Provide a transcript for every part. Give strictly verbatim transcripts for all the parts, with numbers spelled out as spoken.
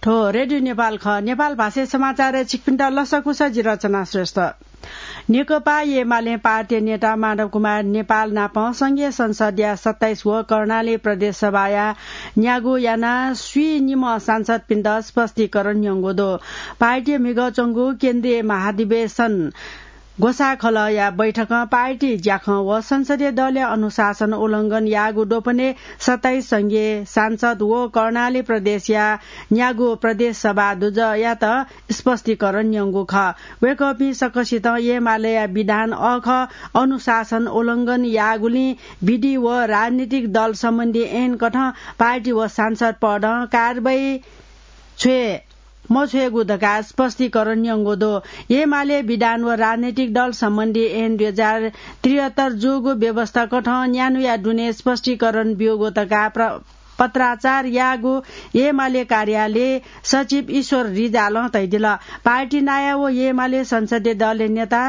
थ्व रेडियो नेपाल खः। नेपाल भाषाय् समाचारय् छिकपिन्त लसकुस, जि रचना श्रेष्ठ। नेकपा एमाले पार्टी नेता माधव कुमार नेपाल नाप संघीय संसदया सत्ताइस व कर्णाली प्रदेश सभाया न्यागू यानाः स्वीनिम्ह सांसदपिन्त स्पष्टीकरण न्यंगु दु। पार्टी म्हिगः च्वंगु केन्द्रीय महाधिवेशन ग्वसाःखलःया बैठकं पार्टी ज्याखँ व संसदीय दलया अनुशासन उल्लंघन याःगु द्वपनय् सत्ताइस संघीय सांसद व कर्णाली प्रदेशया न्यागू प्रदेश सभा दुजःयात स्पष्टीकरण न्यंगु खः। वय्कःपिं सकसितं एमालेया विधान अःखः अनुशासन उल्लंघन याःगुलिं विधि व राजनीतिक दल सम्बन्धी ऐनकथं पार्टी व सांसद पदं कारवाही छ्वये मछ्वयेगु धकाः स्पष्टीकरण न्यंगु दु। एमाले विधान व राजनीतिक दल सम्बन्धी ऐन दुई हजार त्रिहत्तर जूगु व्यवस्थाकथं न्यान्हुया दुने स्पष्टीकरण ब्यूगु धकाः प्र-, पत्राचार याःगु एमाले कार्यालय सचिव ईश्वर रिजालं धयादिल। पार्टी नायः व एमाले संसदीय दलया नेता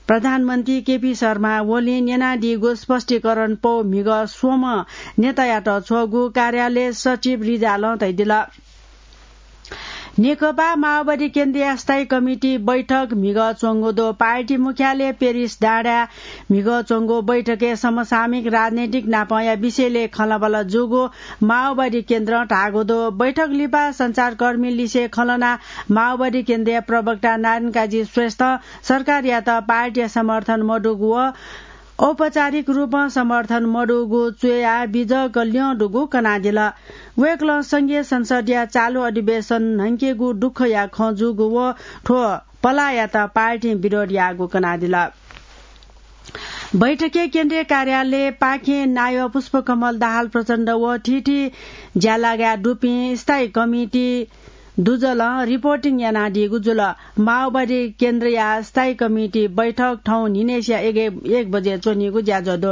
प्रधानमन्त्री केपी शर्मा ओलीं न्यनादीगु स्पष्टीकरण पौ म्हिगः स्वम्ह नेतायात छ्वःगु कार्यालय सचिव रिजालं धयादिल। नेकपा माओवादी केन्द्रया स्थायी कमिटी बैठक म्हिगः च्वंगु दु। पार्टी मुख्यालय पेरिस डाँडाय् म्हिगः च्वंगु बैठकय् समसामयिक राजनैतिक नापंया विषयलय् खँल्हाबल्हा जूगु माओवादी केन्द्रं धाःगु दु। बैठक लिपा सञ्चारकर्मी लिसे खँल्हानाः माओवादी केन्द्रया प्रवक्ता नारायण काजी श्रेष्ठं सरकारयात पार्टीया समर्थन मदुगु व औपचारिक रूपं समर्थन मदुगु च्वयाः बिजक ल्यं दुगु कनादिल। वय्कलं संघीय संसदया चालु अधिवेशन न्हंकेगु दुःखया खँ जूगु व थ्व पलाःयात पार्टीं विरोध याःगु कनादिल। बैठकय् केन्द्रीय कार्यालय पाखें नायः पुष्पकमल दाहाल प्रचण्ड व थीथी ज्यालागाय् दुपिं स्थायी कमिटी दुजलं रिपोर्टिङ यानादीगु जुल। माओवादी केन्द्रया स्थायी कमिटी बैठक थौं न्हिनय्सिया एक, एक बजे च्वनीगु ज्याझ्वः दु।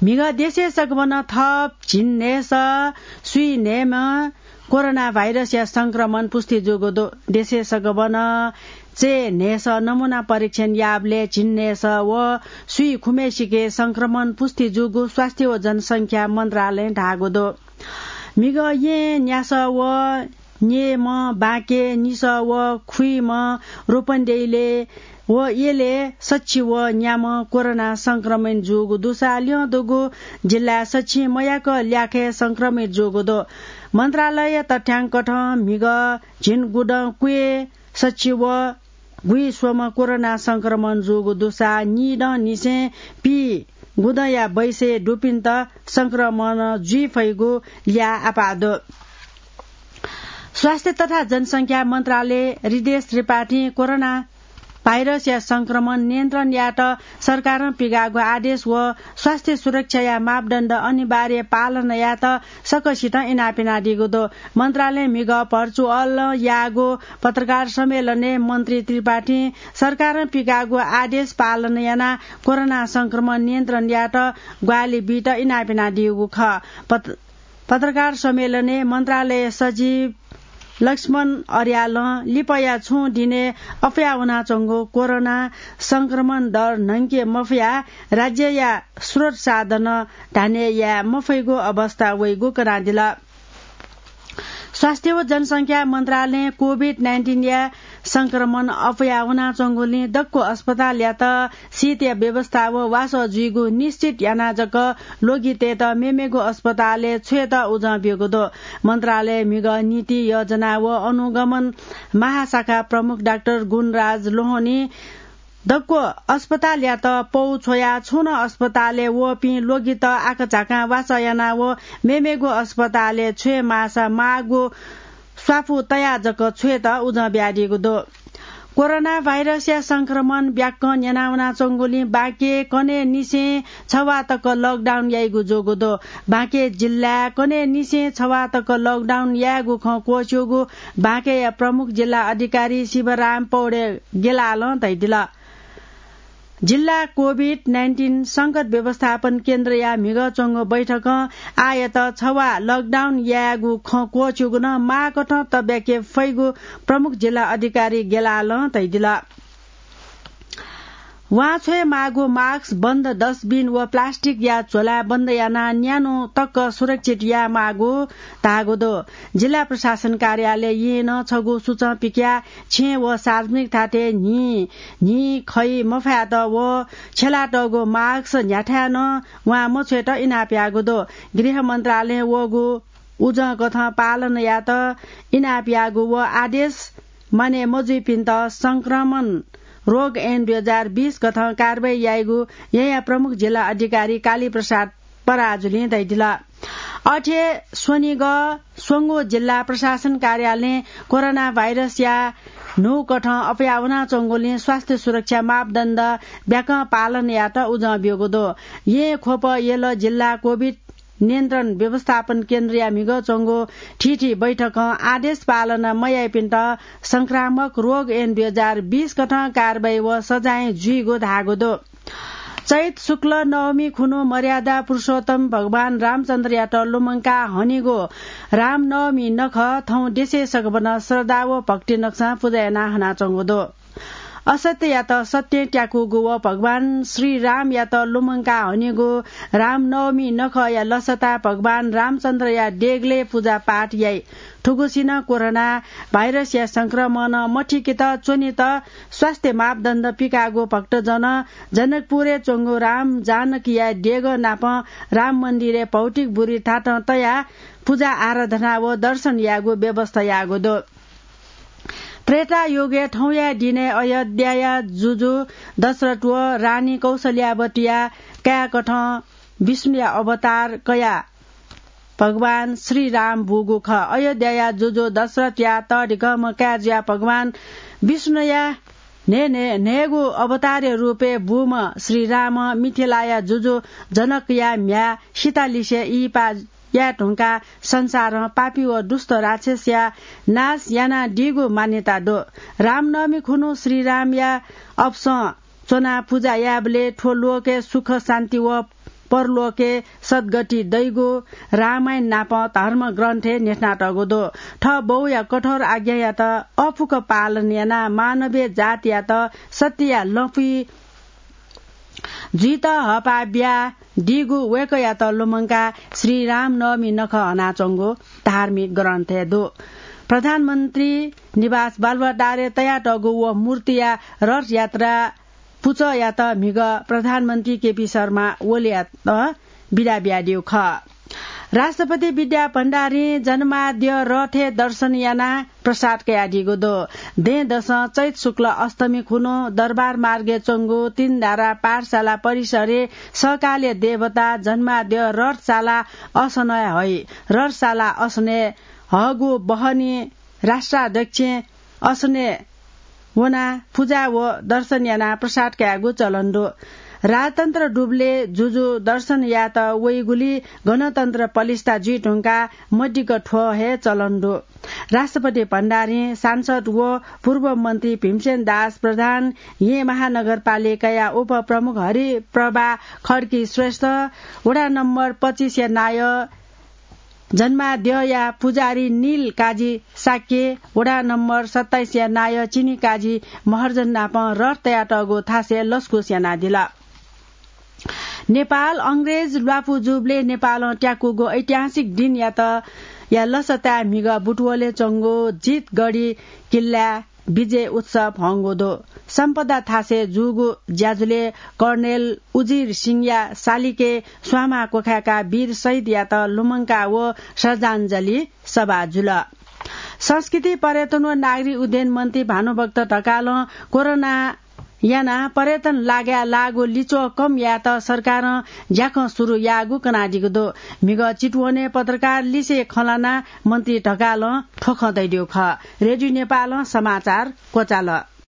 म्हिगः देशय् सकभनं थप झिंन्हय्सः स्वीन्हय्म्ह कोरोना भाइरसया संक्रमण पुष्टि जूगु दु। देशय् सकभनं चय्न्हय्सः नमूना परीक्षण याःबलय् झिंन्हय्सः व स्वीखुम्हय्सिके संक्रमण पुष्टि जूगु स्वास्थ्य व जनसंख्या मन्त्रालयं धाःगु दु। म्हिगः येँ न्यासः व न्येम्ह, बांके निसः व खुइम्ह, रोपनदेइले व यलय् सछि व न्याम्ह कोरोना संक्रमण जूगु दुसा ल्यं दुगु जिल्लाय् सछि मयाक ल्याखय् संक्रमित जूगु दु। मन्त्रालय तथ्यांकथं म्हिगः झिंगुदँ क्वय् सछि व गुइस्वम्ह कोरोना संक्रमण जूगु दुसा निदँ निसें पीगुदँया बैसय् दुपिन्त संक्रमण जुइ फइगु ल्याः आपाः दु। स्वास्थ्य तथा जनसंख्या मन्त्रालय हृदेश त्रिपाठीं कोरोना भाइरसया संक्रमण नियन्त्रण यायेत सरकारं पिकाःगु आदेश व स्वास्थ्य सुरक्षाया मापदण्ड अनिवार्य पालन यायेत सकसितं इनाप यानादीगु दु। मन्त्रालयं म्हिगः भर्चुअल याःगु पत्रकार सम्मेलनय् मन्त्री त्रिपाठीं सरकारं पिकाःगु आदेश पालन यानाः कोरोना संक्रमण नियन्त्रण यायेत ग्वाहालि बीत इनाप यानादीगु खः। पत-, पत्रकार सम्मेलनय् मन्त्रालय सचिव लक्ष्मण अर्यालं लिपाया छुं दिनय् अप्वया वनाच्वंगु कोरोना संक्रमण दर न्हंके मफयाः राज्यया स्रोत साधन धान्य याये मफइगु अवस्था वइगु कनादिल। स्वास्थ्य व जनसंख्या मन्त्रालयं कोभिड नाइन्टिनया संक्रमण अप्वया वनाच्वंगुलिं दक्व अस्पतालयात सितया व्यवस्था व वासः जुइगु निश्चित यानाः जक ल्वगितय्त मेमेगु अस्पतालय् छ्वयेत उजं ब्यूगु दु। मन्त्रालय म्हिगः नीति योजना व अनुगमन महाशाखा प्रमुख डाक्टर गुणराज लोहनीं दक्व अस्पतालयात पौ छ्वयाः छुं नं अस्पतालय् वःपिं ल्वगित आकाझाकां वासः यानाः व मेमेगु अस्पतालय् छ्वये माःसा माःगु स्वापू तयाः जक छ्वयेत उजं बियादीगु दु। कोरोना भाइरसया संक्रमण ब्याक्क न्यनावनाच्वंगुलिं बाँके कन्हय् निसें छवाः तक लकडाउन याइगु जूगु दु। बाँके जिल्लाय् कन्हय् निसें छवाः तक लकडाउन यायेगु खँ क्वःछ्यूगु बाँकेया प्रमुख जिल्ला अधिकारी शिवराम पौडे गेलालं धयादिल। जिल्ला कोभिड नाइन्टिन संकट व्यवस्थापन केन्द्रया म्हिगः च्वंगु बैठकं आःयात छवाः लकडाउन यायेगु खँ क्वःछ्यूगु नं माःकथं तब्याके फइगु प्रमुख जिल्ला अधिकारी गेलालं धयादिल। वांछ्वये माःगु मास्क, बन्द डस्टबिन व प्लास्टिकया झोला बन्द यानाः न्यान्हु तक सुरक्षित याये माःगु धाःगु दु। जिल्ला प्रशासन कार्यालयं नं छगू सूचं पिकयाः छेँ व सार्वजनिक थातय् न्हि, न्हि खइ मफयात व छ्यलातःगु मास्क न्ह्याथाय् नं वां मछ्वयेत इनाप याःगु दु। गृह मन्त्रालयं वःगु उजं कथं पालन यायेत इनाप याःगु व आदेश माने मजुइपिन्त संक्रमण रोग ऐन दुई हजार बीस कथं कारवाही याइगु यया प्रमुख जिल्ला अधिकारी कालीप्रसाद पराजुलिं धयादिल। अथे स्वनिगः स्वंगू जिल्ला प्रशासन कार्यालयं कोरोना भाइरसया न्हू कथं अप्वया वनाच्वंगुलिं स्वास्थ्य सुरक्षा मापदण्ड ब्याकं पालन यायेत उजं ब्यूगु दु। येँ ख्वप यल जिल्ला कोभिड नियन्त्रण व्यवस्थापन केन्द्रया म्हिगः च्वंगु थीथी बैठकं आदेश पालन मयाइपिन्त संक्रामक रोग ऐन दुई हजार बीस कथं कारवाही व सजाय जुइगु धाःगु दु। चैत शुक्ल नवमी खुन्हु मर्यादा पुरुषोत्तम भगवान रामचन्द्रयात लुमंका हनीगु रामनवमी नखः थौं देशय् सकभनं श्रद्धा व भक्ति नकसां पुजा यानाः हनाच्वंगु दु। असत्ययात सत्यं त्याकूगु व भगवान श्री रामयात लुमंका हनीगु रामनवमी नखःया लसताय् भगवान रामचन्द्रया देगलय् पुजापाठ याइ। थुगुसिनं कोरोना भाइरसया संक्रमण मथिकेत च्वनेत स्वास्थ्य मापदण्ड पिकाःगु भक्तजन जनकपुरय् च्वंगु राम जानकीया देगः नाप राम मन्दिरय् भौतिक बुरी थातं तयाः पुजा आराधना व दर्शन यायेगु व्यवस्था याःगु दु। त्रेता युगय् थौंया दिनय् अयोध्याया जुजु दशरथ व रानी कौशल्यावतीया काय्‌कथं विष्णुया अवतार कयाः भगवान श्री राम बूगु खः। अयोध्याया जुजु दशरथया तःधिकःम्ह काय् जुयाः भगवान विष्णुया न्हय् न्हय् न्हय्‌गू अवतारया रूपय् बूम्ह श्री रामं मिथिलाया जुजु जनकया म्ह्याय् सीतालिसे इहिपा याये धुंकाः संसारं पापी व दुष्ट राक्षसया नाश यानादीगु मान्यता दु। रामनवमी खुन्हु श्री रामया अपसं च्वनाः पुजा यायेबलय् थ्व लोकय् सुख शान्ति व परलोकय् सद्गति दइगु रामायण नाप धर्म ग्रन्थय् न्ह्यथनातःगु दु। थः बौया कठोर आज्ञायात अफुक्क पालन यानाः मानवीय जातयात सत्यया लँपुइ जुइत हःपाः बियादीगु वय्‌कःयात लुमंकाः श्री रामनवमी नखः हनाच्वंगु धार्मिक ग्रन्थय् दु। प्रधानमन्त्री निवास बालुवाटारय् तयातःगु व मूर्तिया रथयात्रा पुचःयात म्हिगः प्रधानमन्त्री केपी शर्मा ओलीयात बिदा बियादीगु खः। राष्ट्रपति विद्या भण्डारीं जन्माद्य रथय् दर्शन यानाः प्रसाद कयादीगु दु। दँय्‌दसं चैत शुक्ल अष्टमी खुन्हु दरबार मार्गय् च्वंगु तीनधारा पाठशाला परिसरय् सहकालया देवता जन्माद्य रथशाला असनय् हइ। रथशाला असनय् हःगु बहनी राष्ट्राध्यक्षं असनय् वनाः पुजा व दर्शन यानाः प्रसाद कायेगु चलन दु। राजतन्त्र दुबलय् जुजु दर्शन यायेत वइगुलिं गणतन्त्र पलिस्था जुइ धुंकाः मदिक्क थ्व हे चलन दु। राष्ट्रपति भण्डारीं सांसद व पूर्व मन्त्री भीमसेन दास प्रधान येँ महानगरपालिकाया उपप्रमुख हरिप्रभा खड्की श्रेष्ठ, वडा नम्बर पच्चिसया नायः जन्माद्यया पुजारी नील काजी शाक्य, वडा नम्बर सत्ताइसया नायः चिनी काजी महर्जन नाप रथ तयातःगु थासय् लसकुस यानादिल। नेपाल अंग्रेज ल्वापु जूबलय् नेपालं त्याकूगु ऐतिहासिक दिनयात या लसताय् म्हिगः बुटवलय् च्वंगु जितगढी किल्लाय् विजय उत्सव हंगु दु। सम्पदा थासय् जूगु ज्याझ्वलय् कर्णेल उजिर सिंहया सालिकय् स्वांमा क्वखाय्‌काः वीर शहीदयात लुमंका व श्रद्धाञ्जली सभा जुल। संस्कृति पर्यटन व नागरिक उड्डयन मन्त्री भानुभक्त ढकालं कोरोना यानाः पर्यटन लागाय् लाःगु लिच्वः कम यायेत सरकारं ज्याखँ सुरु याःगु कनादीगु दु। म्हिगः चितवनय् पत्रकार लिसें खँ ल्हानाः मन्त्री ढकालं थ्व खँ धयादीगु खः। रेडियो नेपालं समाचार क्वचाल।